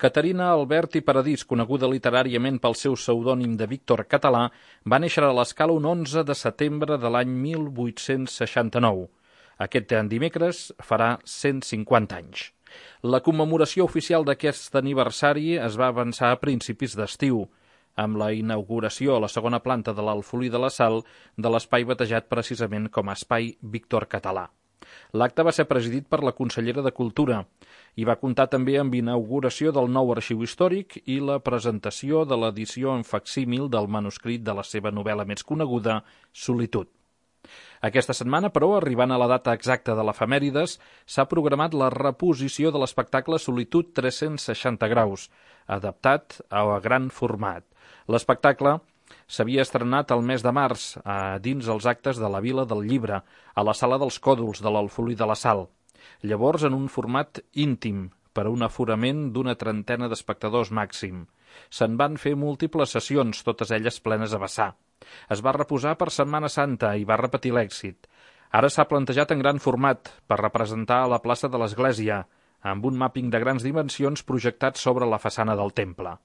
Caterina Albert i Paradís, coneguda literàriament pel seu pseudònim de Víctor Català, va néixer a l'Escala un 11 de setembre de l'any 1869. Aquest dimecres farà 150 anys. La commemoració oficial d'aquest aniversari es va avançar a principis d'estiu, amb la inauguració a la segona planta de l'Alfolí de la Sal de l'espai batejat precisament com a Espai Víctor Català. L'acte va ser presidit per la consellera de Cultura i va comptar també amb inauguració del nou arxiu històric i la presentació de l'edició en facsímil del manuscrit de la seva novel·la més coneguda, Solitud. Aquesta setmana, però, arribant a la data exacta de l'efemèrides, s'ha programat la reposició de l'espectacle Solitud 360 graus, adaptat a gran format. L'espectacle s'havia estrenat el mes de març dins els actes de la Vila del Llibre, a la Sala dels Còdols de l'Alfolí de la Sal. Llavors en un format íntim, per a un aforament d'una trentena d'espectadors màxim. Se'n van fer múltiples sessions, totes elles plenes a vessar. Es va reposar per Setmana Santa i va repetir l'èxit. Ara s'ha plantejat en gran format, per representar a la plaça de l'Església, amb un màpping de grans dimensions projectat sobre la façana del temple.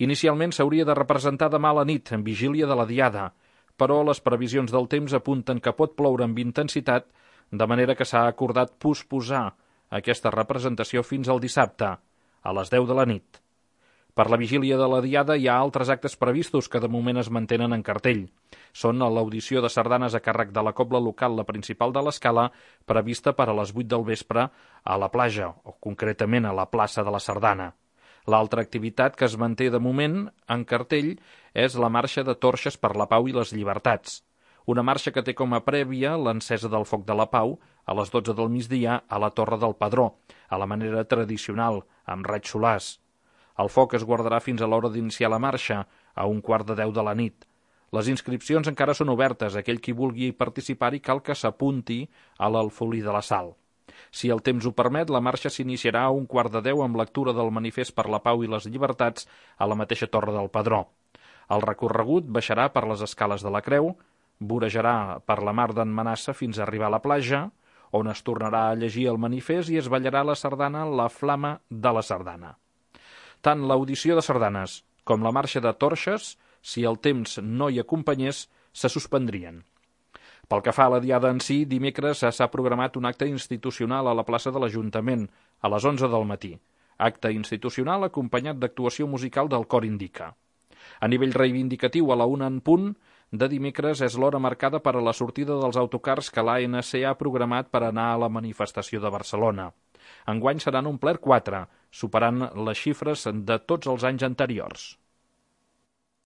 Inicialment s'hauria de representar demà a la nit, en vigília de la Diada, però les previsions del temps apunten que pot ploure amb intensitat, de manera que s'ha acordat posposar aquesta representació fins al dissabte, a les 10 de la nit. Per la vigília de la Diada hi ha altres actes previstos que de moment es mantenen en cartell. Són l'audició de sardanes a càrrec de la cobla local, la principal de l'Escala, prevista per a les 8 del vespre a la platja, o concretament a la plaça de la Sardana. L'altra activitat que es manté de moment en cartell és la marxa de torxes per la pau i les llibertats. Una marxa que té com a prèvia l'encesa del foc de la pau a les 12 del migdia a la Torre del Padró, a la manera tradicional, amb raigs solars. El foc es guardarà fins a l'hora d'iniciar la marxa, a 1:15 de la nit. Les inscripcions encara són obertes. Aquell qui vulgui participar-hi cal que s'apunti a l'Alfolí de la Sal. Si el temps ho permet, la marxa s'iniciarà a 1:15 amb lectura del manifest per la pau i les llibertats a la mateixa Torre del Padró. El recorregut baixarà per les escales de la Creu, vorejarà per la mar d'en Manassa fins a arribar a la platja, on es tornarà a llegir el manifest i es ballarà la sardana La Flama de la Sardana. Tant l'audició de sardanes com la marxa de torxes, si el temps no hi acompanyés, se suspendrien. Pel que fa a la Diada en si, dimecres s'ha programat un acte institucional a la plaça de l'Ajuntament, a les 11 del matí. Acte institucional acompanyat d'actuació musical del Cor Indica. A nivell reivindicatiu, a la 1 en punt, de dimecres és l'hora marcada per a la sortida dels autocars que l'ANC ha programat per anar a la manifestació de Barcelona. Enguany seran un pler 4, superant les xifres de tots els anys anteriors.